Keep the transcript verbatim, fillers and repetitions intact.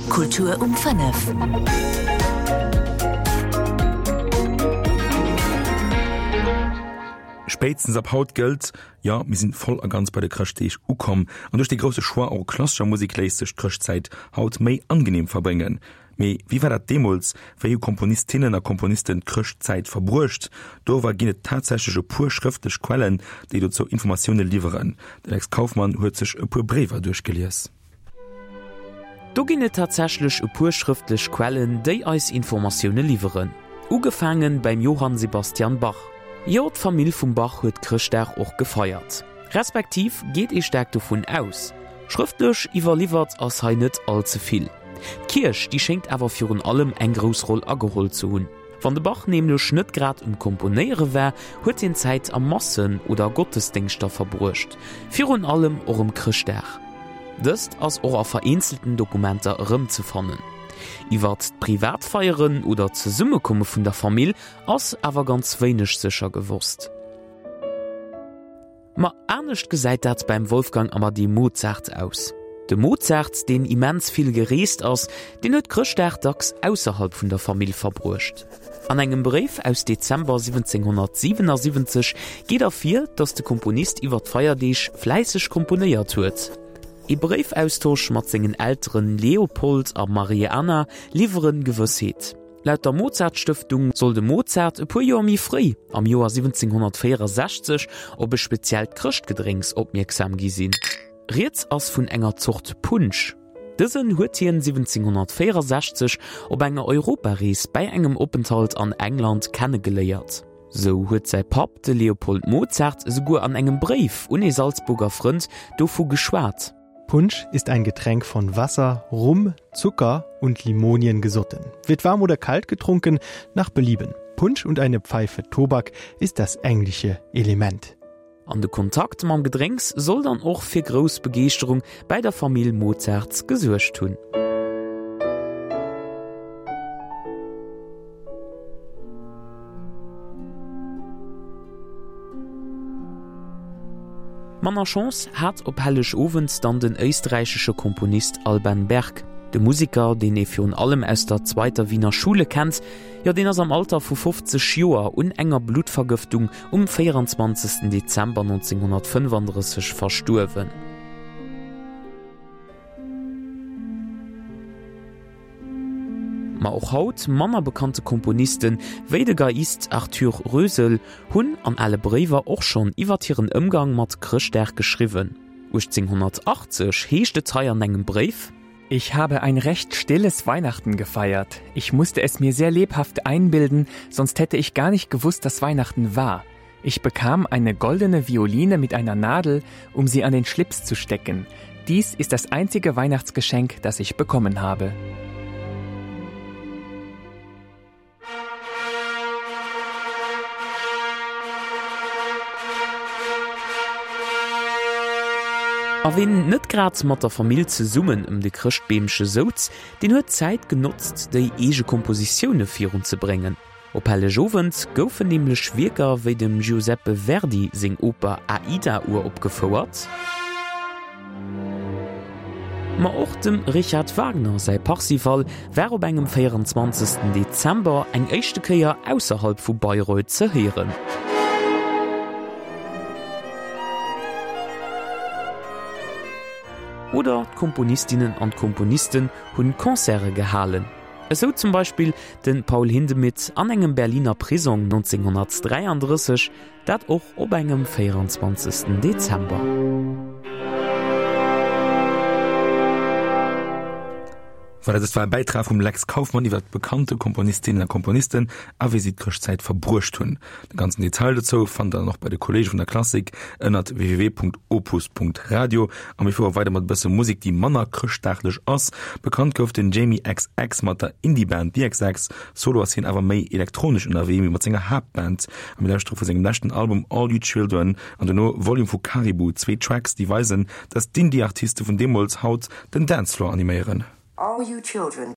Kultur um fënnef. Spéitstens ab haut gëllt, Jo, mir sinn voll a ganz bei de Chrëschtdeeg ukomm. An duerch de grousse Choix u klassescher Musek léisst sech d'Chrëschtzäit haut méi angeneem verbréngen. Mee wéi war dat deemools? Wéi hu Komponistinnen a Komponisten d'Chrëschtzäit verbruecht? Doriwwer ginn et tatsächlech e puer schrëftlech Quellen, déi dozou Informatioune liwweren. De Lex Kauffmann huet sech e puer Bréiwer duerchgelies. Do ginn et tatsächlech e puer schrëftlech Quellen, déi eis Informatioune liwweren. Ugefaange beim Johann Sebastian Bach. Jo, d'Famill vum Bach huet Chrëschtdag och gefeiert. Respektiv geet ee staark dovun aus. Schrëftlech iwwerliwwert ass hei net all ze vill. D'Kierch, déi schéngt awer virun allem eng grouss Roll ageholl ze hunn. Wann de Bach nämlech net grad um Komponéiere war, huet hien Zäit a Massen oder Gottesdéngschter verbruecht, virun allem och ëm Chrëschtdag. Dëst ass och a vereenzelten Dokumenter erëmzefannen. Iwwert d'Privatfeieren oder d'Zesummekomme vun der Famill ass awer ganz wéineg sécher gewosst. Ma anescht gesäit dat beim Wolfgang Amadé Mozart aus. De Mozart, deen immens vill gereest ass, deen huet Chrëschtdag dacks ausserhalb vun der Famill verbruecht. An engem Bréif aus Dezember siwwenzénghonnertsiwenasiwwenzeg geet ervir, datt de Komponist iwwer d'Feierdeeg fläisseg komponéiert huet. Ee Bréifaustosch mat sengen Elteren Leopold a Marie Anna liwwere Gewëssheet. Laut der Mozart-Stëftung soll de Mozart e puer Joer méi fréi, am Joer siwwenzénghonnertvéierasechzeg, op e speziellt Chrëschtgedrénks opmierksam gi sinn. Rieds ass vun enger Zort Punsch. Dësen huet hien siwwenzénghonnertvéierasechzeg op enger Europarees bäi engem Openthalt an England kennegeléiert. Sou huet säi Papp, de Leopold Mozart, esouguer an engem Bréif un ee Salzburger Frënd dovu geschwat. Punsch ist ein Getränk von Wasser, Rum, Zucker und Limonien gesotten. Wird warm oder kalt getrunken, nach Belieben. Punsch und eine Pfeife Tobak ist das englische Element. An de Kontakt mam Gedrénks soll dann och fir grouss Begeeschterung bäi der Famill Mozart gesuergt hunn. Manner Chance hat op Hellegowend dann den éisträichesche Komponist Alban Berg. De Museker, deen ee virun allem aus der Zweiter Wiener Schule kennt, jo deen ass am Alter vu fofzeg Joer un enger Bluttvergëftung um véierundzwanzegsten Dezember nonzénghonnertfënnefandrësseg verstuerwen. Ma och haut manner bekannte Komponisten, wéi de Geiist Arthur Rösel, hunn an ale Bréiwer och schonn iwwert hiren Ëmgang mat Chrëschtdag geschriwwen. uechtzénghonnertachtzeg heescht et hei an engem Bréif. Ich habe ein recht stilles Weihnachten gefeiert. Ich musste es mir sehr lebhaft einbilden, sonst hätte ich gar nicht gewusst, dass Weihnachten war. Ich bekam eine goldene Violine mit einer Nadel, um sie an den Schlips zu stecken. Dies ist das einzige Weihnachtsgeschenk, das ich bekommen habe. A ween net grad mat der Famill zesummen ëm de Chrëschtbeemche souz, deen huet d'Zäit genotzt, déi eege Kompositioune virunzebréngen. Op Hellegowend goufen nämlech Wierker wéi dem Giuseppe Verdi seng Oper Aida uropgefouert. Ma och dem Richard Wagner säi Parsifal war op engem véierundzwanzegsten Dezember eng éischte Kéier ausserhalb vu Bayreuth ze héieren. Oder d'Komponistinnen an d'Komponisten hunn Concerte gehalen. Esou zum Beispill de Paul Hindemith an engem Berliner Prisong nonzénghonnertdräiandrësseg, dat och op engem véierundzwanzegsten Dezember. Voilà, dëst war e Bäitrag vum Lex Kauffmann iwwer bekannte Komponistinnen a Komponisten a wéi si d'Chrëschtzäit verbruecht hunn. De ganzen Detail dozou fannt der dann och bei de Kolleege vun der Klassik ënnert www.opus.radio. A mir fuere weider mat e bësse Musek, déi manner chrëschtdaglech ass. Bekannt gouf den Jamie X X mat der Indie-Band The X X. Solo ass hien awer méi elektronesch ënnerwee wéi mat senger Haaptband. A mir lauschtere vu sengem leschten Album All You Children an dono Volume vu Caribou, zwee Tracks, déi weisen, dass d'Indie-Artiste vun deemools haut den Dancefloor animéieren. All You Children.